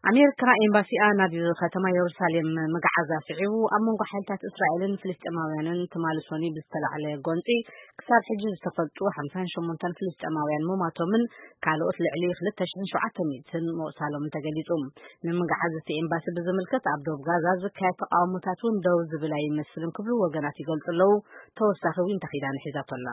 ኣሜሪካ ኤምባሲኣ ናብ ከተማ የሩሳሌም ምግዓዛ ስዒቡ፣ ኣብ መንጎ ሓይልታት እስራኤልን ፍልስጤማውያንን ትማሊ ሶኒ ብዝተላዕለ ጎንፂ ክሳብ ሕጂ ዝተፈልጡ ሓምሳን ሸሞንተን ፍልስጤማውያን ምሟቶምን ካልኦት ልዕሊ ክልተ ሽሕን ሸውዓተ ሚእትን ምቑሳሎምን ተገሊጹ። ንምግዓዝ እቲ ኤምባሲ ብዝምልከት ኣብ ዶብ ጋዛ ዝካየድ ተቃውሞታት እውን ደው ዝብል ኣይመስልን ክብሉ ወገናት ይገልጹ ኣለዉ። ተወሳኺ ዊንታ ኪዳነ ሒዛቶ ኣላ።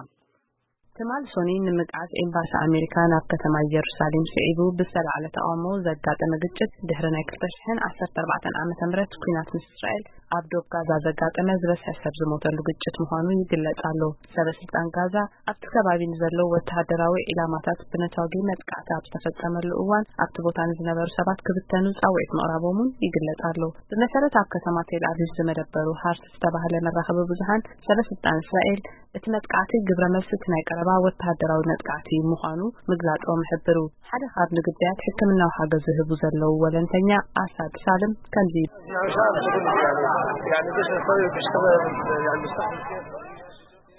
ትማሊ ሶኒ ንምግዓዝ ኤምባሲ ኣሜሪካ ናብ ከተማ ኢየሩሳሌም ስዒቡ ብዝተላዕለ ተቃውሞ ዘጋጠመ ግጭት ድሕሪ ናይ ክልተ ሽሕን ዓሰርተ ኣርባዕተን ዓመተ ምህረት ኲናት ምስ እስራኤል ኣብ ዶብ ጋዛ ዘጋጠመ ዝበዝሐ ሰብ ዝሞተሉ ግጭት ምዃኑ ይግለጽ ኣሎ። ሰበ ስልጣን ጋዛ ኣብቲ ከባቢ ንዘለዉ ወተሃደራዊ ዒላማታት ብነታጒ መጥቃዕቲ ኣብ ዝተፈጸመሉ እዋን ኣብቲ ቦታ ንዝነበሩ ሰባት ክብተኑ ጻውዒት ምቕራቦም እውን ይግለጽ ኣሎ። ብመሰረት ኣብ ከተማ ቴል ኣቪቭ ዝመደበሩ ሃርት ዝተባህለ መራኸቢ ብዙሃን ሰበ ስልጣን እስራኤል እቲ መጥቃዕቲ ግብረ መልሲ እቲ ናይ ቀረባ ወተሃደራዊ መጥቃዕቲ ምዃኑ ምግላጾም ይሕብሩ። ሓደ ካብ ንግዳያት ሕክምናዊ ሓገዝ ዝህቡ ዘለዉ ወለንተኛ ኣሳድ ሳልም ከምዚ ይብል።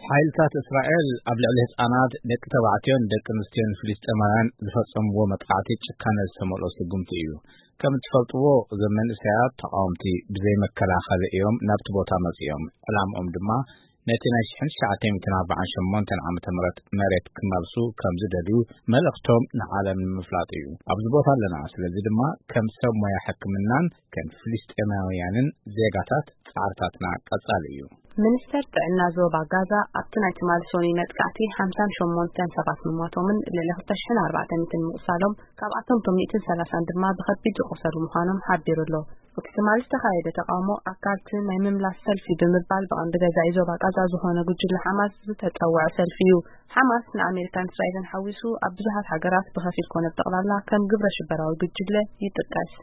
ሓይልታት እስራኤል ኣብ ልዕሊ ህጻናት፣ ደቂ ተባዕትዮን ደቂ ኣንስትዮን ፍልስጤማውያን ዝፈጸምዎ መጥቃዕቲ ጭካነ ዝተመልኦ ስጉምቲ እዩ። ከም እትፈልጥዎ፣ እዞም መንእሰያት ተቓወምቲ ብዘይ መከላኸሊ እዮም ናብቲ ቦታ መጺኦም። ዕላምኦም ድማ ነቲ ናይ ሽሕን ትሽዓተ ሚእትን ኣርባዓን ሸሞንተን ዓመተ ምህረት መሬት ክመልሱ ከም ዝደልዩ መልእኽቶም ንዓለም ንምፍላጥ እዩ። ኣብዚ ቦታ ኣለና፣ ስለዚ ድማ ከም ሰብ ሞያ ሕክምናን ከም ፍልስጤማውያንን ዜጋታት ጻዕርታትና ቀጻሊ እዩ። ሚኒስተር ጥዕና ዞባ ጋዛ ኣብቲ ናይ ትማሊ ሶኒ መጥቃዕቲ ሓምሳን ሸሞንተን ሰባት ምሟቶምን ልዕሊ ክልተ ሽሕን ኣርባዕተ ሚእትን ምቑሳሎም፣ ካብኣቶም እቶም ሚእትን ሰላሳን ድማ ብኸቢድ ዝቖሰሉ ምዃኖም ሓቢሩ ኣሎ። እቲ ትማሊ ዝተኻየደ ተቃውሞ ኣካልቲ ናይ ምምላስ ሰልፊ ብምባል ብቐንዲ ገዛኢ ዞባ ጋዛ ዝኾነ ጉጅለ ሓማስ ዝተጸውዐ ሰልፊ እዩ። ሓማስ ንኣሜሪካን እስራኤልን ሓዊሱ ኣብ ብዙሓት ሃገራት ብኸፊል ኮነ ብጠቕላላ ከም ግብረ ሽበራዊ ጉጅለ ይጥቀስ።